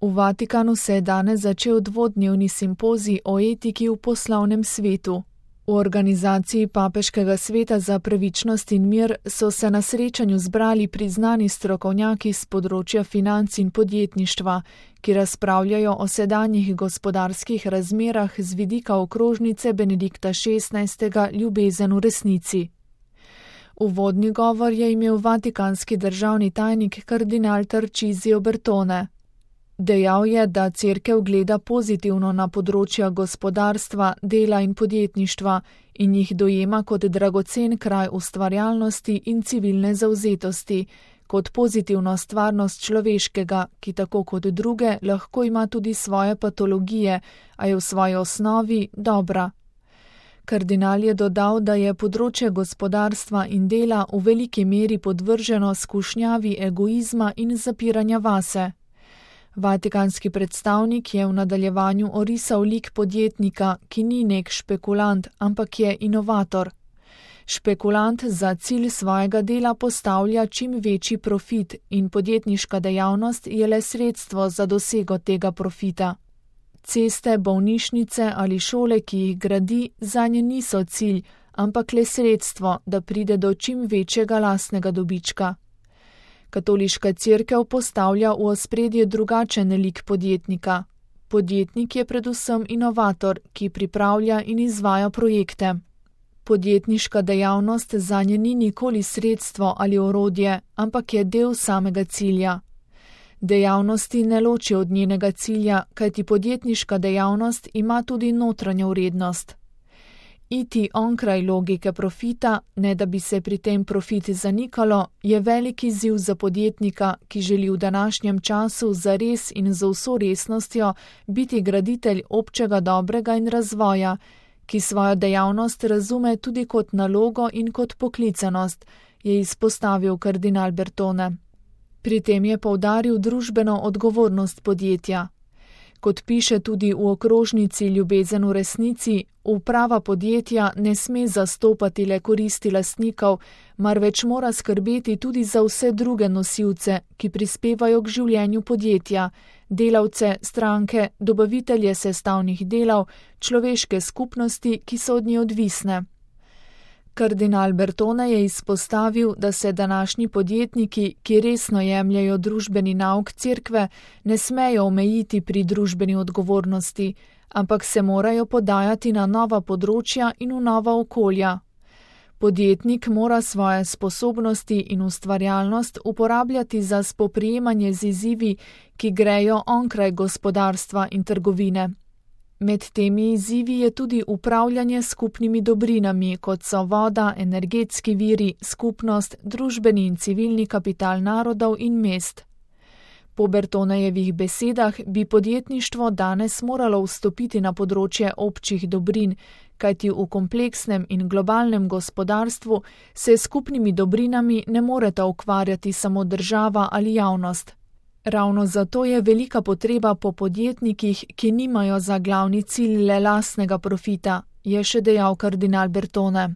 V Vatikanu se je danes začel dvodnevni simpozij o etiki v poslovnem svetu. V organizaciji Papeškega sveta za pravičnost in mir so se na srečanju zbrali priznani strokovnjaki z področja financ in podjetništva, ki razpravljajo o sedanjih gospodarskih razmerah z vidika okrožnice Benedikta XVI. Ljubezen v resnici. Uvodni govor je imel vatikanski državni tajnik kardinal Tarcisio Bertone. Dejal je, da Cerkev gleda pozitivno na področja gospodarstva, dela in podjetništva in jih dojema kot dragocen kraj ustvarjalnosti in civilne zavzetosti, kot pozitivno stvarnost človeškega, ki tako kot druge lahko ima tudi svoje patologije, a je v svoji osnovi dobra. Kardinal je dodal, da je področje gospodarstva in dela v veliki meri podvrženo skušnjavi egoizma in zapiranja vase. Vatikanski predstavnik je v nadaljevanju orisal lik podjetnika, ki ni nek špekulant, ampak je inovator. Špekulant za cilj svojega dela postavlja čim večji profit in podjetniška dejavnost je le sredstvo za dosego tega profita. Ceste, bolnišnice ali šole, ki jih gradi, zanje niso cilj, ampak le sredstvo, da pride do čim večjega lastnega dobička. Katoliška cerkev postavlja v ospredje drugačen lik podjetnika. Podjetnik je predvsem inovator, ki pripravlja in izvaja projekte. Podjetniška dejavnost zanje ni nikoli sredstvo ali orodje, ampak je del samega cilja. Dejavnosti ne loči od njenega cilja, kajti podjetniška dejavnost ima tudi notranjo vrednost. Iti onkraj logike profita, ne da bi se pri tem profit zanikalo, je velik izziv za podjetnika, ki želi v današnjem času zares in z vso resnostjo biti graditelj občega dobrega in razvoja, ki svojo dejavnost razume tudi kot nalogo in kot poklicanost, je izpostavil kardinal Bertone. Pri tem je poudaril družbeno odgovornost podjetja. Kot piše tudi v okrožnici Ljubezen v resnici, uprava podjetja ne sme zastopati le koristi lastnikov, marveč mora skrbeti tudi za vse druge nosilce, ki prispevajo k življenju podjetja, delavce, stranke, dobavitelje sestavnih delov, človeške skupnosti, ki so od nje odvisne. Kardinal Bertone je izpostavil, da se današnji podjetniki, ki resno jemljajo družbeni nauk cerkve, ne smejo omejiti pri družbeni odgovornosti, ampak se morajo podajati na nova področja in v nova okolja. Podjetnik mora svoje sposobnosti in ustvarjalnost uporabljati za spoprijemanje z izzivi, ki grejo onkraj gospodarstva in trgovine. Med temi izzivi je tudi upravljanje skupnimi dobrinami, kot so voda, energetski viri, skupnost, družbeni in civilni kapital narodov in mest. Po Bertonejevih besedah bi podjetništvo danes moralo vstopiti na področje občih dobrin, kajti v kompleksnem in globalnem gospodarstvu se skupnimi dobrinami ne moreta ukvarjati samo država ali javnost. Ravno zato je velika potreba po podjetnikih, ki nimajo za glavni cilj le lastnega profita, je še dejal kardinal Bertone.